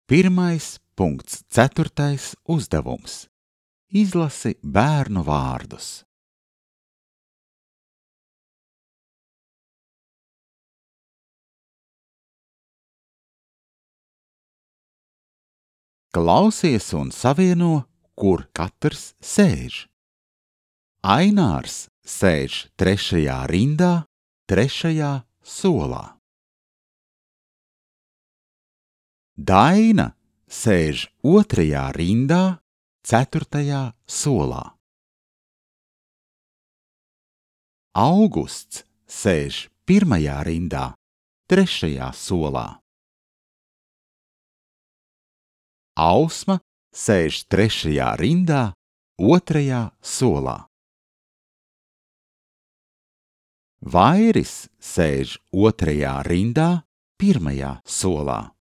1.4. uzdevums. Izlasi bērnu vārdus. Klausies un savieno, kur katrs sēž. Ainārs sēž 3. rindā, 3. solā. Daina sēž 2. rindā, 4. solā. Augusts sēž 1. rindā, 3. solā. Ausma sēž 3. rindā, 2. solā. Vairis sēž 2. rindā, 1. solā.